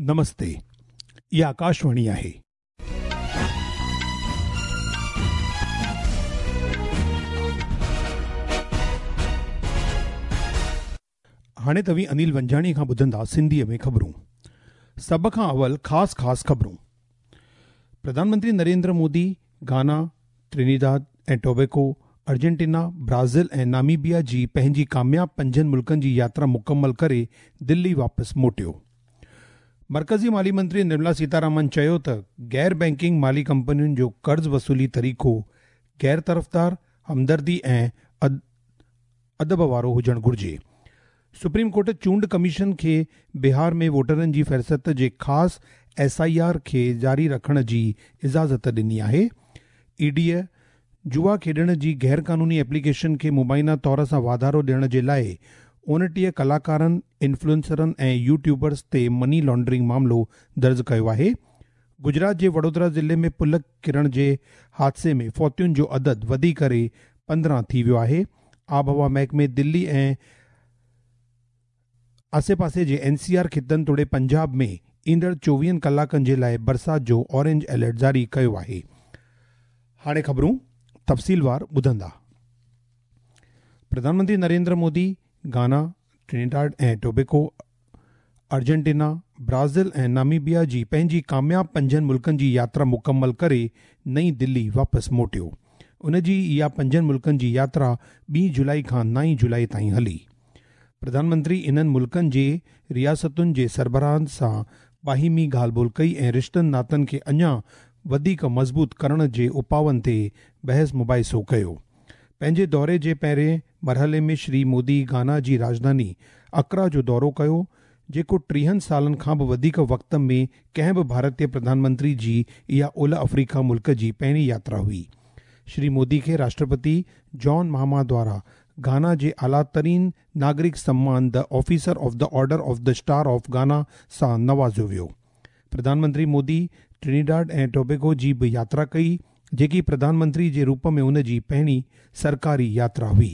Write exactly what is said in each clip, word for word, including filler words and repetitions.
نمستي، اها آڪاشواڻي آهي. هاڻي توهين انيل ونجاڻي کان ٻڌندا سنڌيءَ ۾ خبرون. سڀ کان اول خاص خاص خبرون. پرڌان منتري نريندر مودي گانا، ٽرنيڊاڊ ۽ ٽوبيگو، ارجنٽينا، برازيل ۽ ناميبيا جي پنهنجي ڪامياب پنجن ملڪن جي ياترا مڪمل ڪري دلي واپس موٽيو. مرڪزي مالي منتري نرملا سيتارامن چيو ته غير بينڪنگ مالي ڪمپنين جو قرض وصولي طريقو غير طرفدار، همدردي ۽ ادب وارو هجڻ گهرجي. سپريم ڪورٽ چونڊ ڪميشن کي بهار ۾ ووٽرن جي فهرست جي خاص ايس I R کي جاري رکڻ جي اجازت ڏني آهي. اي ڊيءَ جوا کيڏڻ جي غير قانوني ايپليڪيشن کي مبينا طور سان واڌارو ڏيڻ جي لاءِ اڻٽيهه ڪلاڪارن، انفلوئنسرن ۽ يوٽيوبرز تي مني لانڊرنگ معاملو درج ڪيو آهي. گجرات جي وڊودرا ضلعي ۾ پل ڪرڻ جي حادثي ۾ فوتين جو عدد وڌي ڪري پندرهن ٿي ويو آهي. آبهوا محڪمي دلي ۽ آسي پاسي جي اين سي آر خطن توڙي پنجاب ۾ ايندڙ چوويهن ڪلاڪن جي لاءِ برسات جو اورينج الرٽ جاري ڪيو آهي. هاڻي خبرون تفصيلوار ٻڌندا. پرڌان منتري نريندر مودي گانا، ٽرنيڊاڊ ۽ ٽوبيگو، ارجنٽينا، برازيل ۽ ناميبيا جي پنهنجي ڪامياب پنجن ملڪن جي ياترا مڪمل ڪري نئين دلي واپس موٽيو. ان جي اها پنجن ملڪن جي ياترا ٻي جولاءِ کان نائين جولاءِ تائين هلي. پرڌان منتري انهن ملڪن جي رياستن جي سربراهن سان باهمي ڳالهه ٻولهه ڪئي ۽ رشتن ناتن کي اڃا وڌيڪ مضبوط ڪرڻ جي اپائن تي بحث مباحثو ڪيو. پنهنجي دوري جي پهرين مرحلي ۾ شري مودي گانا جي راڄڌاني اڪرا جو دورو ڪيو، جيڪو ٽيهن سالن کان به وڌيڪ وقت ۾ ڪنهن به ڀارتيه پرڌان منتري جي اها اولهه آفريڪا ملڪ جي پهرين ياترا هئي. شري مودي کي راشٽرپتي جان مهاما دوارا گانا جي اعليٰ ترين ناگرڪ سمان the Officer of the Order of the Star of Ghana سان نوازيو ويو. پرڌان منتري مودي ٽرنيڊاڊ ۽ ٽوبيگو جي به ياترا ڪئي، جيڪي پرڌان منتري جي روپ ۾ ان جي پهرين سرڪاري ياترا هئي.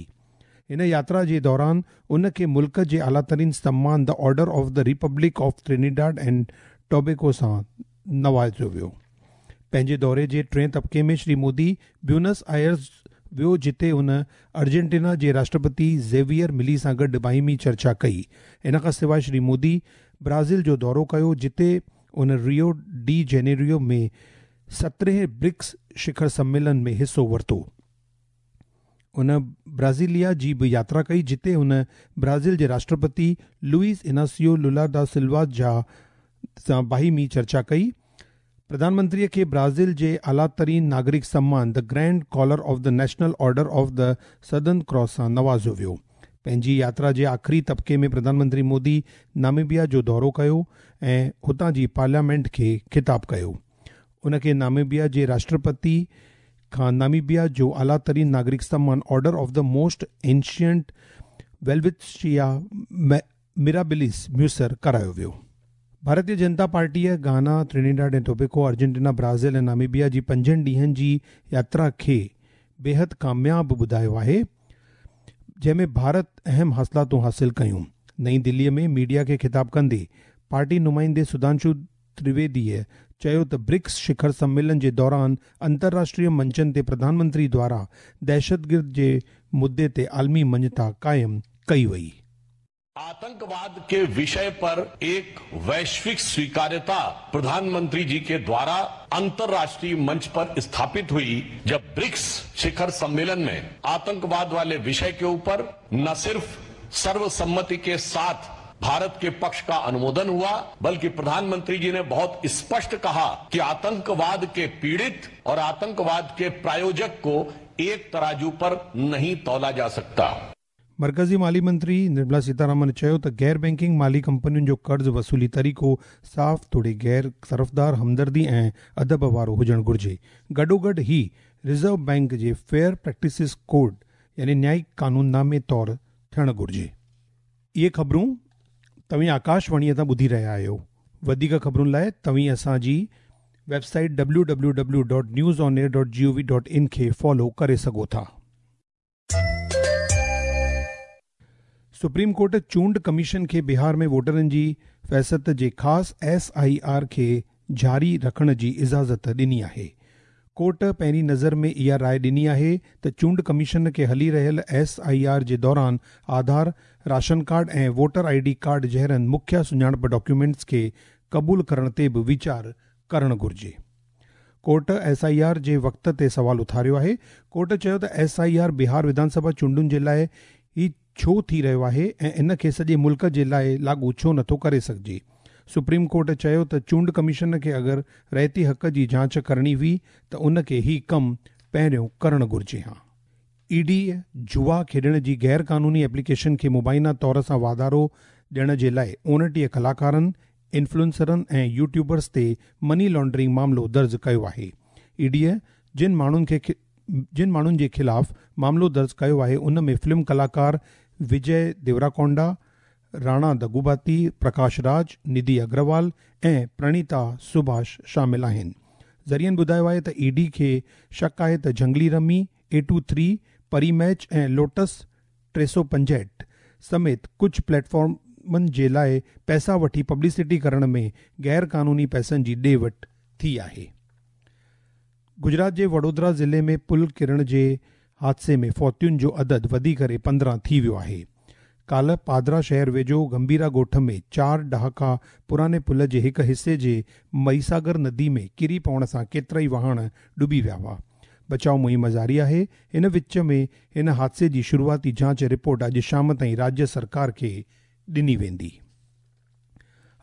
هن ياترا جي دوران ان کي ملڪ جي اعليٰ ترين سمان the Order of the Republic of Trinidad and Tobago سان نوازيو ويو. پنهنجي دوري جي ٽئين طبقي ۾ شري مودي بيونس آئرس ويو، جتي هن ارجنٽينا جي راشٽرپتي زيويئر ملي سان گڏ باهمي چرچا ڪئي. ان کان سواءِ شري مودي برازيل جو دورو ڪيو، جتي ان ريو ڊي جينيرو ۾ سترهين برڪس شکر سميلن ۾ حصو ورتو. هن برازيليا جي به ياترا ڪئي، جتي هن برازيل جي راشٽرپتي لوئس اناسيو لولا دا سلوا جا سان باهمي چرچا ڪئي. پرڌان منتريءَ کي برازيل جي اعليٰ ترين ناگرڪ سمان the Grand Collar of the National Order of the Southern Cross سان نوازيو ويو. پنهنجي ياترا جي آخري طبقي ۾ پرڌان منتري مودي ناميبيا جو دورو ڪيو ۽ هتان جي پارليامينٽ کي خطاب ڪيو. ان کي ناميبيا جي راشٽرپتي کان ناميبيا جو اعليٰ ترين ناگرڪ سمان Order of the Most Ancient Welwitschia Mirabilis ميسر ڪرايو ويو. ڀارتيه جنتا پارٽيءَ گانا، ٽرنيڊاڊ ۽ ٽوبيگو، ارجنٽينا، برازيل ۽ ناميبيا جي پنجن ڏينهن جي ياترا کي بيحد ڪامياب ٻڌايو آهي، جنهن ۾ ڀارت اهم حاصلاتون حاصل ڪيون. نئين دليءَ ۾ ميڊيا کي خطاب ڪندي پارٽي نمائندي سڌانشو ترويديءَ چيو ته برڪس شکر سميلن جي دوران انترراشٽريه منچن تي پرڌان منتري دوارا دهشتگرد جي مدعي تي عالمي مڃتا قائم ڪئي وئي. आतंकवाद के विषय पर एक वैश्विक स्वीकार्यता प्रधानमंत्री जी के द्वारा अंतर्राष्ट्रीय मंच पर स्थापित हुई, जब ब्रिक्स शिखर सम्मेलन में आतंकवाद वाले विषय के ऊपर न सिर्फ सर्वसम्मति के साथ भारत के पक्ष का अनुमोदन हुआ, बल्कि प्रधानमंत्री जी ने बहुत स्पष्ट कहा कि आतंकवाद के पीड़ित और आतंकवाद के प्रायोजक को एक तराजू पर नहीं तोला जा सकता। मर्कज़ी माली मंत्री निर्मला सीतारामन चयो त गैर बैंकिंग माली कंपनियुनि जो कर्ज़ वसूली तरीक़ो साफ़ तोड़े गैर तरफ़दार, हमदर्दी ऐं अदब वारो हुजणु घुरिजे। गॾोगॾु ही रिज़र्व बैंक जे फेयर प्रैक्टिसिस कोड यानी न्यायिक कानूननामे तौरु थियणु घुरिजे। इहे ख़बरूं तव्हीं आकाशवाणीअ तां ॿुधी रहिया आहियो। वधीक ख़बरुनि लाइ तव्हीं असांजी website W W W dot news on air dot G O V dot in खे फॉलो करे सघो था। सुप्रीम कोर्ट चूंड कमीशन खे बिहार में वोटरनि जी فهرست جي خاص ايس I R کي جاري رکڻ جي اجازت ڏني آهي. ڪورٽ پهرين نظر ۾ اها راءِ ڏني آهي ته چونڊ ڪميشن کي هلي رهيل ايس I R جي دوران آڌار، ration card ۽ voter I D card جهڙن مکيه سڃاڻپ ڊاڪيومينٽس کي قبول ڪرڻ تي به ويچار ڪرڻ گهرجي. ڪورٽ ايس I R جي وقت تي سوال اٿاريو آهي. ڪورٽ چيو ته ايس I R بهار وڌان سڀا چونڊن جي لاءِ ئي ڇو ٿي رهيو آهي ۽ ان کي سڄي ملڪ جي لاءِ لاڳو ڇو نٿو ڪري سگهجي. سپريم ڪورٽ چيو ته چونڊ ڪميشن کي اگر رهتي حق جي جاچ ڪرڻي هئي ته ان کي هي ڪم پهريون ڪرڻ گهرجي ها. اي ڊي جوا کيڏڻ جي غير قانوني ايپليڪيشن کي مبينا طور سان واڌارو ڏيڻ جي لاءِ اڻٽيهه ڪلاڪارن، انفلوئنسرن ۽ يوٽيوبرز تي مني لانڊرنگ معاملو درج ڪيو آهي. اي ڊي جن ماڻهن کي جن ماڻهن جي خلاف معاملو درج ڪيو آهي ان ۾ فلم ڪلاڪار وجي ديوراڪونڊا، راڻا دگوباتي، پرڪاش راج، نڌي اگروال ۽ پرڻيتا سڀاش شامل آهن. ذريعن ٻڌايو آهي ته اي ڊي کي شڪ آهي ته Junglee rummy, A two three, Pari match ۽ Lotus ٽي سؤ پنجهٺ سميت ڪجهه پليٽ فارمن جي لاءِ پئسا وٺي پبلسٽي ڪرڻ ۾ غير قانوني پئسن جي ڏي وٺ ٿي آهي. گجرات جي وڊودرا ضلعي ۾ پل ڪرڻ جي حادثي ۾ فوتين جو عدد وڌي ڪري پندرهن ٿي ويو آهي. ڪالهه پادرا شهر ويجهو گمڀيرا ڳوٺ ۾ چار ڏهاڪا پراڻي پل جي هڪ حصي جي مهيساگر ندي ۾ ڪري پوڻ سان ڪيترائي واهڻ ڊٻي ويا هئا. بچاءُ مهم جاري آهي. هن وچ ۾ هن حادثي جي شروعاتي جاچ رپورٽ اڄ شام تائين راجيه سرڪار کي ڏني ويندي.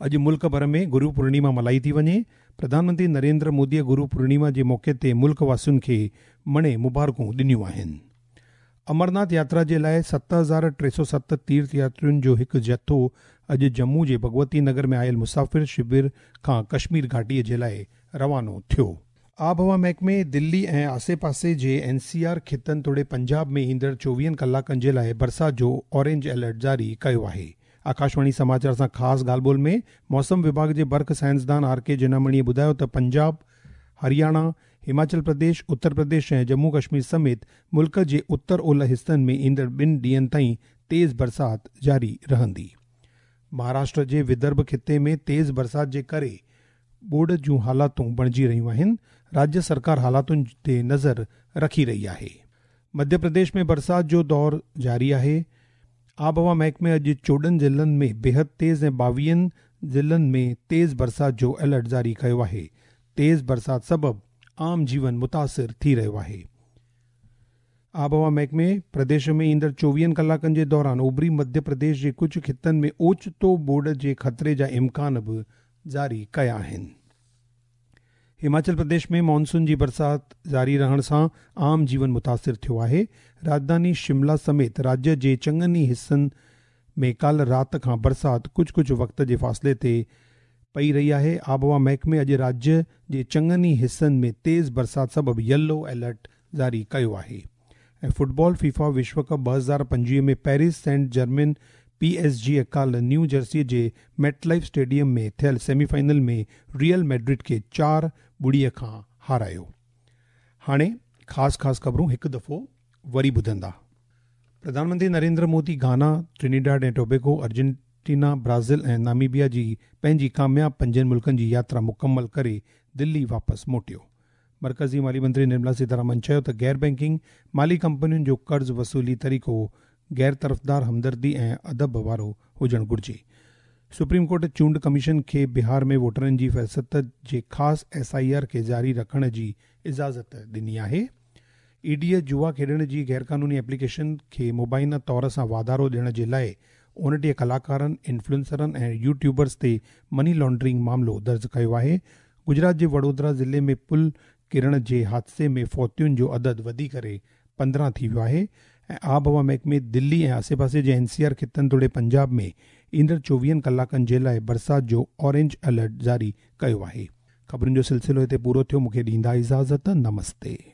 اڄ ملڪ ڀر ۾ گرو پورڻما ملهائي ٿي وڃي. پرڌان منتري نريندر موديءَ گرو پورڻما جي موقعي تي ملڪ واسين کي مڻي مبارڪون ڏنيون آهن. امرناٿ ياترا جي لاءِ ست هزار ٽي سؤ ست تيرٿ ياترين جو هڪ جٿو اڄ ڄمون جي ڀڳوتي نگر ۾ آيل مسافر شور کان ڪشمير گهاٽيءَ جي لاءِ روانو ٿيو. آبهوا محڪمي دلي ۽ آسي پاسي جي اين سي آر خطن توڙي پنجاب ۾ ايندڙ چوويهن ڪلاڪن جي لاءِ برسات جو اورينج الرٽ جاري ڪيو آهي. آڪاشواڻي سماچار سان خاص ڳالهه ٻولهه ۾ موسم وڀاڳ جي برک سائنسدان آر ڪي جنامڻيءَ ٻڌايو ته پنجاب، هرياڻا، هماچل پرديش، اتر پرديش ۽ ڄمون ڪشمير سميت ملڪ جي اتر اولهه حصن ۾ ايندڙ ٻن ڏينهن تائين تيز برسات جاري رهندي. مهاراشٽر جي ودرڀ خطي ۾ تيز برسات جي ڪري ٻوڏ جون حالاتون بڻجي رهيون آهن. راجيه سرڪار حالاتن تي نظر رکي رهي آهي. مڌيه پرديش ۾ برسات جو دور جاري آهي. آبهوا محڪمي اڄ چوڏهن ضلعن ۾ بيحد تيز ۽ ٻاويهن ضلعن ۾ تيز برسات جو الرٽ جاري ڪيو آهي. تيز برسات سبب عام جيون متاثر ٿي رهيو آهي. آبهوا محڪمي پرديش ۾ ايندڙ چوويهن ڪلاڪن جي دوران اوڀري مڌيه پرديش جي ڪجهه خطن ۾ اوچتو ٻوڏ جي خطري جا امڪان به جاري ڪيا آهن. هماچل پرديش ۾ مانسون جي برسات جاري رهڻ سان عام جيون متاثر ٿيو آهي. راڄڌاني شملا سميت راجيه جي چڱن ئي حصن ۾ ڪالهه رات کان برسات ڪجهه ڪجهه وقت جي فاصلي تي پئي رهي آهي. آبهوا محڪمي اڄ راجيه جي چڱن ئي حصن ۾ تيز برسات سبب يلو الرٽ جاري ڪيو آهي. ۽ فٽبال فيفا وشو ڪپ ٻه هزار پنجويهه ۾ Paris Saint Germain P S G ڪالهه نيو جرسي جي ميٽ لائيف اسٽيڊيم ۾ ٿيل سيمي فائنل ۾ ريئل ميڊرڊ کي چار ٻڙيءَ کان هارايو. هاڻي خاص خاص خبرون هڪ دفعو وري ٻڌندا. Pradhan Mantri Narendra Modi Ghana, Trinidad ۽ Tobago, Argentina, Brazil ۽ Namibia جي پنهنجي ڪامياب پنجن ملڪن جي ياترا مڪمل ڪري دلي واپس موٽيو. مرڪزي مالي منتري نرملا سيتارامن چيو ته غير بينڪنگ مالي ڪمپنين جو قرض وصولي طريقو غير طرفدار، همدردي ۽ ادب وارو هجڻ گهرجي. سپريم ڪورٽ چونڊ ڪميشن کي بهار ۾ ووٽرن جي فهرست جي خاص ايس I R کي جاري رکڻ جي اجازت ڏني آهي. اي ڊي جوا کيڏڻ جي غير قانوني ايپليڪيشن کي مبينا طور سان واڌارو ڏيڻ جي لاءِ اڻٽيهه ڪلاڪارن، انفلوئنسرن ۽ يوٽيوبرز تي مني لانڊرنگ معاملو درج ڪيو آهي. گجرات جي وڊودرا ضلعي ۾ پل ڪرڻ جي حادثي ۾ فوتين جو عدد وڌي ڪري پندرهن ٿي ويو آهي. ۽ آبهوا محڪمي دلي ۽ آسي پاسي جي اين سي آر خطن توڙي پنجاب ۾ ايندڙ چوويهن ڪلاڪن جي لاءِ برسات جو اورينج الرٽ جاري ڪيو آهي. خبرن جو سلسلو هتي پورو ٿيو. مون کي ڏيندا اجازت. نمستي.